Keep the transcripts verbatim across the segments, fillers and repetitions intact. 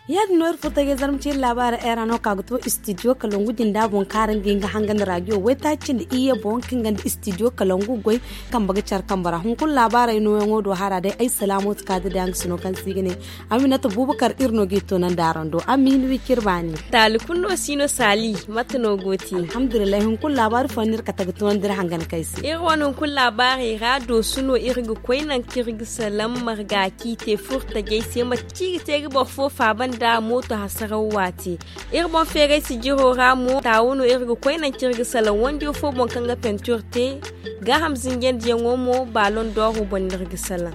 Ya- din no iri furo tajay zarma ciiri laabaari era no ka ga to istidiyo kalangu jinda boŋ kaara nga hin ga hangan raadiyo waytaaci nda iyye boŋ kaŋ ga nda istidiyo kalangu goy. Kambe ga care kambe ra hunkuna laabaaray nooyaŋo do hara day ay salaamo si ka ga day a nga sino kaŋ se i ga ne aminata buubakar iri no ga i toonandi araŋ do a ma hin wi kaŋ iri baani. Taali kulu no si no saali mate no go te? Alhamdulillahi hunkuna laabaari fooyaŋ no iri kate ga toonandi iri hangan kaŋ ay se. Iri wane hunkuna laabaarey ra doosu no iri ga koy nangu kaŋ iri ga salaŋ marga kaŋ i te furo tajay se mate kaŋ i ga te ga boro fo faaba nda mooto hasaraw waati. Iri boŋ feeray sijiro ra mo taawo no iri ga koy nangu kaŋ iri ga salaŋ wanjo fo boŋ kaŋ ga pentir te. Gaaham zinjandiyaŋo mo baaloŋ dooro boŋ no iri ga salaŋ.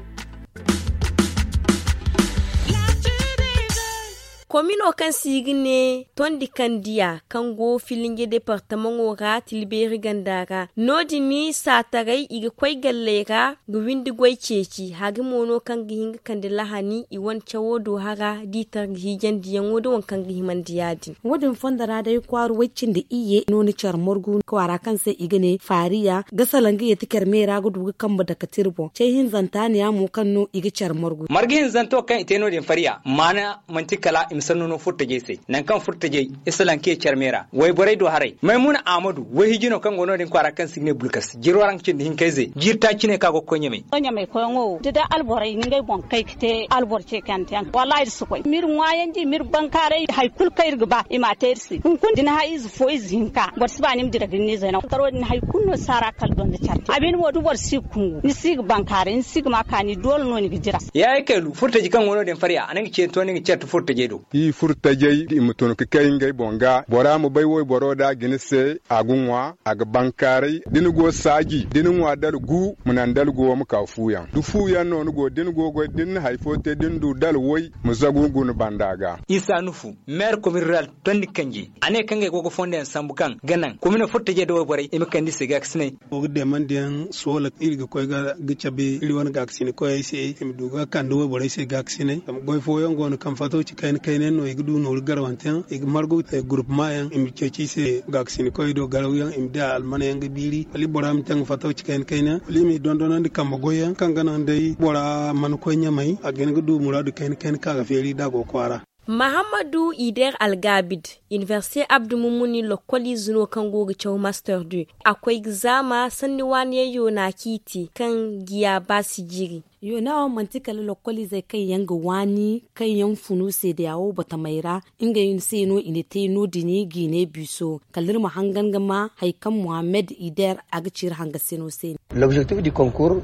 Komino kaŋ se i ga ne tondi kandiya kaŋ go filinje departamaŋo ra tilbeeri ganda ra no- din saataray i ga koy galley ra ga windi goy ceeci hari mo no kaŋ ga hin ga kande lahani i wane cawo do hara da i tar ga hiijandiyaŋo da waŋ kaŋ ga himandi ya- din. Wo- din fondo ra day kwaara way-cindi iyye no ni care margu kwaara kaŋ se i ga ne faariya ga salaŋ ga yeeti care meera ga du ga kambe dake tira boŋ cay hinzanta ne- ya mo kaŋ no i ga care margu. Marga hinzanto kaŋ i te no- din fariya maana manti kala i ma sanno no furtajey se nangu kaŋ furtajey i salaŋ ka ye care meera wayborey do haray maymuna ahmadu wayhiji no kaŋ go no- din kwaara kaŋ se i ga ne bulkas jiro ra nga cindi hinkayze jiiri taaci ne kaŋ a go ga koy ɲamay. Ɲamay koyaŋo wo da day alborey ngey boŋ kay ga te albor ce kante yaŋ wallahi iri si koy ma iri ŋwaayandi ma iri bankaaray hari kulu kaŋ iri ga ba i m'a te iri se hunkuna da ni hay ize fo ize hinka boro si ba ni ma dira ga ni ne zayna karo din hari kulu no saara kala donda care te a bine mo da boro si ga kungu ni si ga bankaaray ni si ga ma kaani doole no ni ga dira. Yaaye kaylu furtaji kaŋ go no- din fariya a na nga ce to ni ga care ta furtajey do. I furtajey i ma tun ga kay ngey boŋ ga bora ma bay wayboro da a ga ni se a ga ŋwa a ga bankaaray da ni go saaji da ni ŋwa dala gu ma naŋ dala go ma ka fuuyaŋ da fuuyaŋ no ni go da ni go goy da ni na hari fo te da ni du dala way ma zagu guna banda ga. Isa nufu meer komin rural tondi kanji a ne kaŋ ngey go ga fondo yaŋ sambu kaŋ ga naŋ komine furtajey da wayborey i ma kande i se gaakasinay. Go ga deemandiyaŋ soola iri ga koy ga cabe iri wane gaakasina koyey se i ma du ga kande wayborey se gaakasinay zama goy fooyaŋ go no kaŋ fato ci kayna kayna yaŋ no i ga du nooru garwanteyaŋ i ga margu gurupemayaŋ i ma ceeci i se gaakasina koyey do garawyaŋ i ma di a almanayaŋ ga biiri wala i bora ma te nga fato ci kayna kayna wala i ma i dondonandi kambe goyyaŋ kaŋ ga naŋ day bora mana koy ɲamay a ga hin ga du muraadu kayna kayna kaŋ a ga feeri da a go kwaara. Mahammadu ider algabid, inibersite abdu mummuni lokkoliize no kaŋ go ga caw master du a koy ga zaama sanni waani yaŋ yoona kaŋ i te kaŋ ga ya ba si jiiri. Yoona wo manti kala lokkoliizey kaŋ yaŋ ga waani kaŋ yaŋ funu seedeya wo batamey ra ngey se no i na te no- din jiine biiso kala iri ma hangan ga ma hari kaŋ muhammed ider a ga ci iri hangasino se.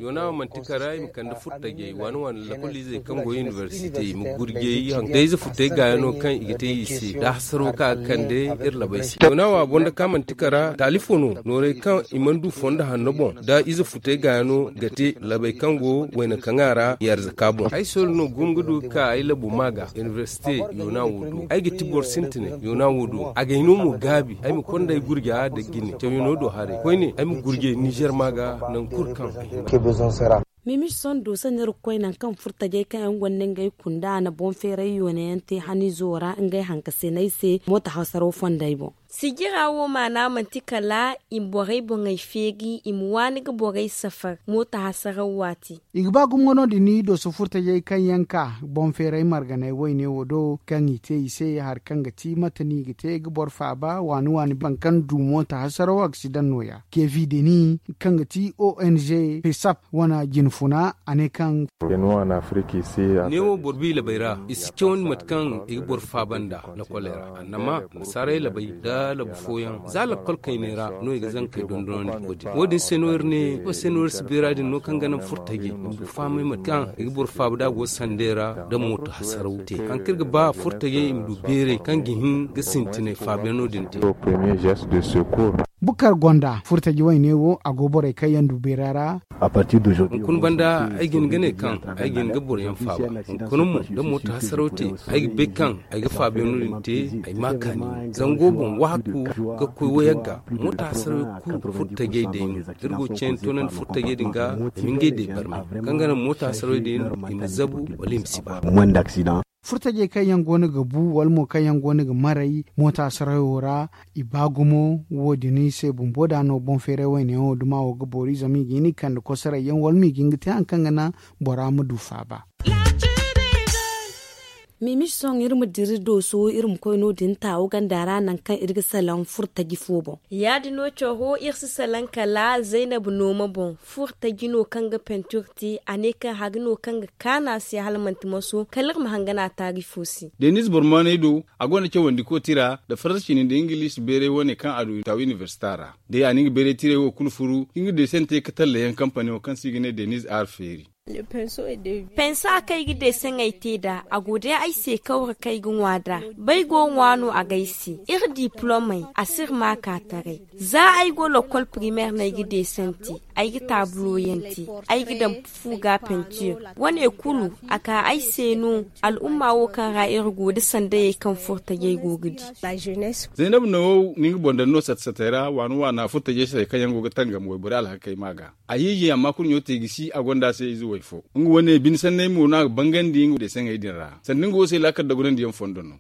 Yoona wo manti kara i ma kande furtajey waani waani lakkoliizey kaŋ go inibersite i ma gurjey haŋ da ize futey gaayaŋo kaŋ i ga te i se da hasaro kaŋ a ga kande iri labey se yoona wo a boŋ da kaŋ manti kara taalifo no noorey kaŋ i mana du fondo hanno boŋ da ize futey gaayaŋo ga te labey kaŋ go wayna kaŋ a ra i arzaka boŋ ay sohõ no gumo ga du ga ka ay labu ma ga inibersite yoona wo do ay ga ti boro sintinay yoona wo do a ga ay no mo gaabi ay ma konda ay gurja da jine cawyaŋo do haray koyne ay ma gurjay nizer ma ga nangu kulu kaŋ ay hima. Mimi sondo sanni iri ga koy nangu kaŋ furtajey kaŋ yaŋ gonda ngey kunda a na boŋ feeray yoone yaŋ te hanizo ra ngey hankasiney se mooto hasaro fondey boŋ. Sijira wo maana manti kala i ma borey boŋey feeri i ma waani ga borey safar mooto hasaraw waati. I ga ba gumo no din ni dooso furtajey kaŋ yaŋ ka boŋ feeray marganey wayne wo do kaŋ i te i se hari kaŋ ga ti mate no i ga te ga boro faaba waani waani baŋ kaŋ du mooto hasaraw aksidaŋ nooya kevi deni kaŋ ga ti ong pesap wane jinfuna a ne kaŋ neewo boro bi labey ra i si cawandi mate kaŋ i ga boro faaba nda lakoley ra annama nasaarey labey nda labu fooyaŋ za lakol kayney ra no i ga zankey dondonandi wo- din wo- din se no iri ne wo- se no iri si beera din no kaŋ ga naŋ furtajey i ma du fahamay mate kaŋ i ga boro faaba da a go sanday ra da mooto hasaraw te haŋ kaŋ iri ga ba furtajey i ma du beeray kaŋ ga hin ga sintinay faabiyaŋo din te. Bukar gonda furtaji wayne wo a go borey kaŋ yaŋ du beera ra. Hunkuna banda ay ga hin ga ne kaŋ ay ga hin ga boroyaŋ faaba hunkuna mo da mooto hasaraw te ay ga bay kaŋ ay ga faabiyaŋo din te ay ma kaani zango boŋ waaku ga koy wayagga mooto hasaraw kulu furtajey day no iri go ga cayni toonandi furtajey din ga i ma ngey day barmay kaŋ ga naŋ mooto hasaraw din i ma zabu wala i ma si ba. Furtajey kaŋ yaŋ go no ga bu wala mo kaŋ yaŋ go no ga maray moota sarayo ra, i ba gumo. Wo- din se bumbo da no boŋ feeray wayne yaŋo duma wo ga boori zama i ga hin i kande kosoray yaŋ wala mo i ga hin ga te hari kaŋ ga naŋ bora ma du faaba. Mimiche sohõ iri ma dira dooso iri ma koy no- din taawo ganda ra nangu kaŋ iri ga salaŋ furtaji fo boŋ. Ya- din no caro iri si salaŋ kala zaynab nooma boŋ. Furtaji no kaŋ ga pentir te a ne kaŋ hari no kaŋ ga kaanu a se hala manti maso kala iri ma hangan a taari fo se. Deniz bormaaney do a gonda cawandi kooti ra nda faransa cindi nda ingiliisi beeray wane kaŋ a du taawo inibersita ra. Day a na nga beeray tiray wo kulu furu nga deesante ka talla yaŋ kampani wo kaŋ se i ga ne deniz aar feeri. Pensa kaŋ ay ga deesaŋey te nd'a a go day ay se kawra kaŋ ay ga ŋwa nd'a. Ba ay go ga ŋwa no a ga ay se. Iri diplomey a si iri maaka taray. Za ay go lokkol primeer no ay ga deesante, ay ga taabulo yaŋ te, ay ga daŋ fu ga pentir. Wane kulu a ka ay se no. Al'umma wo kaŋ ra iri go nda sandayey kaŋ furtajey go ga di. Zaynab no ni nga boŋ daŋ no sata satey ra waana waana furtajey satey kaŋ yaŋ go ga tangam wayborey alhakey ma ga. A hiiji amma kurɲo te gisi a gonda se ize way fo. Nga wane bine sanney mo no a ga bangandi nga deesaŋey din ra sanda nga wo se laakal dagunandiyaŋ fondo no.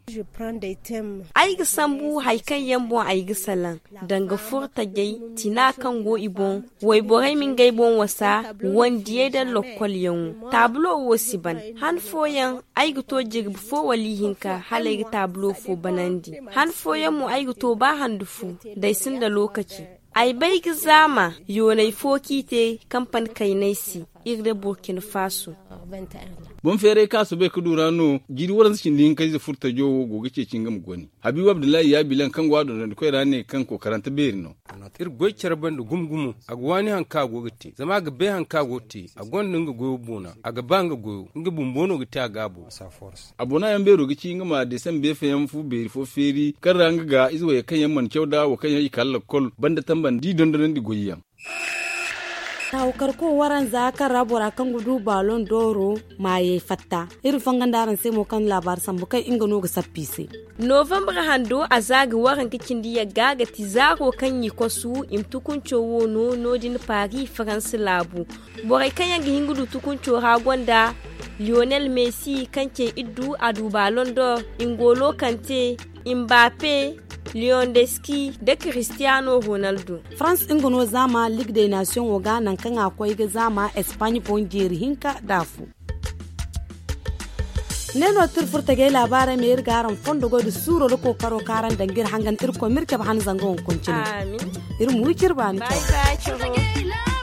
Ay ga sambu hari kaŋ yaŋ boŋ ay ga salaŋ, danga furtajey, tina kaŋ go i boŋ, wayborey ma ngey boŋ wasa, wandiyey nda lokkolyaŋo. Taabulo wo si ban. Han fooyaŋ ay ga to jirbi fo wala ihinka hala ay ga taabulo fo banandi. Han fooyaŋ mo ay ga to ba handu fu, da ay sinda lookaci. Ay bay ga zaama yoonay fo kaŋ i te kampani kaynay se, iri nda burkina faso. Boŋ feeray kaŋ a soobay ga du ra no jiiri waranza cindi hinka ize furtajo wo go ga ceeci nga ma goni. Habiibu abdullahi yaabilan kaŋ go a dondonandikoy ra ne kaŋ kookarante beeri no. Iri goy care banda gumo gumo. A ga waani hari kaŋ a go ga te zama a ga bay hari kaŋ a go ga te. A gonda nga goyo boona. A ga ba nga goyo nga bumbo no ga te a gaabo. A boona yaŋ beero ga ci nga ma deesan beefa yaŋ fu beeri fo feeri kaŋ ra nga ga ize wayey kaŋ yaŋ mana caw nd'a wo kaŋ yaŋ i kala lakkol banda tambandi dondonandi goy yaŋ. Taawo karko waranza kaŋ ra bora kaŋ ga du baalon dooro maayey fatta. Iri fongo nda araŋ se mo kaŋ laabaari sambu kaŋ nga no ga sappa i se. Novembre hando a za ga waranka cindi yagga ga ti zaaro kaŋ i kosu i ma tukunco wo no no- din paari faransa laabu. Borey kaŋ yaŋ ga hin ga du tukunco ra gonda liyonel messi kaŋ ce iddu a du baalon dor, ingolo kante, imbape, liyondeski, nda cristiano ronaldo. Farans nga no zaama ligue de nation wo ga nangu kaŋ a koy ga zaama espagne boŋ jeeri hinka nda afo. Ne no tirfurtagey laabaarey ma iri ga araŋ fondo goy nda suuro nda kookaro kaŋ araŋ daŋ ga iri hangan irkoy ma iri cabe han zanga wankoncine. Iri ma wi ciri baani caw.